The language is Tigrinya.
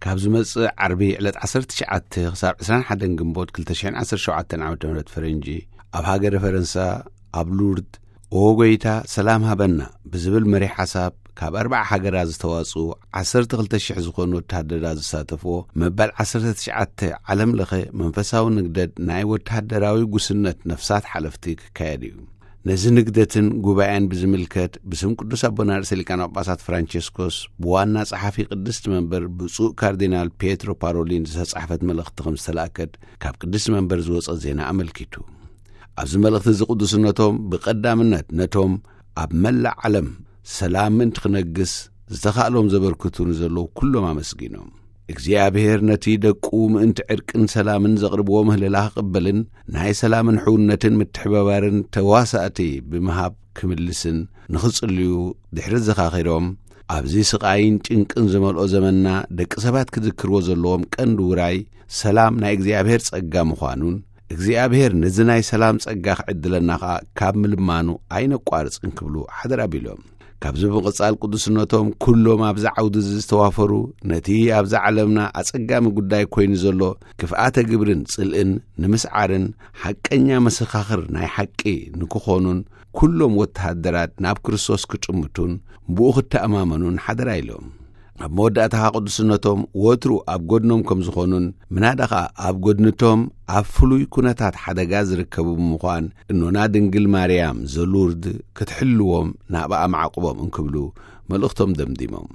ካብ ዝመጽእ ዓርቢ ዕለት ዓሰርተ ትሽዓተ ክሳብ ዕስራን ሓደን ግንቦት ክልተ ሽሕን ዓሰርተ ሸውዓተን ዓመተ ምህረት ፈረንጂ፣ ኣብ ሃገረ ፈረንሳ፣ ኣብ ሉርድ፣ "ኦ ጎይታ፣ ሰላም ሃበና" ብዝብል መሪሕ ሓሳብ፣ ካብ ኣርባዓ ሃገራት ዝተዋጽኡ ዓሰርተ ክልተ ሽሕ ዝኾኑ ወተሃደራት ዝሳተፍዎ መበል ዓሰርተ ትሽዓተ ዓለም ለኸ መንፈሳዊ ንግደት ናይ ወተሃደራዊ ጉስነት ነፍሳት ሓለፍቲ ክካየድ እዩ። ነዚ ንግደትን ጉባኤን ብዝምልከት፣ ብስም ቅዱስ ኣቦና ርእሰ ሊቃነ ጳጳሳት ፍራንቸስኮስ፣ ብዋና ጸሓፊ ቅድስቲ መንበር ብፁዕ ካርዲናል ፒየትሮ ፓሮሊን ዝተጻሕፈት መልእኽቲ ከም ዝተላእከት ካብ ቅድስቲ መንበር ዝወጸ ዜና ኣመልኪቱ። ኣብዚ መልእኽቲ እዚ ቅዱስነቶም ብቐዳምነት ነቶም ኣብ መላእ ዓለም ሰላም ምእንቲ ክነግስ ዝተኻእሎም ዘበርክቱ ንዘለዉ ኩሎም ኣመስጊኖም። እግዚኣብሔር ነቲ ደቁ ምእንቲ ዕርቅን ሰላምን ዘቕርብዎ ምህለላ ክቕበልን ናይ ሰላምን ሕውነትን ምትሕብባርን ተዋሳእቲ ብምሃብ ክምልስን ንኽጽልዩ ድሕሪ ዘኻኺሮም፣ ኣብዚ ስቓይን ጭንቅን ዝመልኦ ዘመንና ደቂ ሰባት ክዝክርዎ ዘለዎም ቀንዲ ውራይ ሰላም ናይ እግዚኣብሔር ጸጋ ምዃኑን፣ እግዚኣብሔር ነዚ ናይ ሰላም ጸጋ ክዕድለና ኸኣ ካብ ምልማኑ ኣይነቋርጽን ክብሉ ሓደራ ቢሎም። ካብዚ ብምቕጻል ቅዱስነቶም ኩሎም ኣብዚ ዓውዲ እዚ ዝተዋፈሩ፣ ነቲ ኣብዛ ዓለምና ኣጸጋሚ ጉዳይ ኮይኑ ዘሎ ክፍኣተ ግብርን ጽልእን ንምስዓርን ሓቀኛ መሰኻኽር ናይ ሓቂ ንክኾኑን ኩሎም ወተሃደራት ናብ ክርስቶስ ክጥምቱን ብኡ ክተኣማመኑን ሓደራ ኢሎም። ኣብ መወዳእታ ቅዱስነቶም ወትሩ ኣብ ጎድኖም ከም ዝኾኑን፣ ምናዳ ኸኣ ኣብ ጎድንቶም ኣብ ፍሉይ ኩነታት ሓደጋ ዝርከቡ ብምዃን፣ እኖና ድንግል ማርያም ዘሉርድ ክትሕልዎም ናብኣ ማዕቁቦም እንክብሉ መልእኽቶም ደምዲሞም።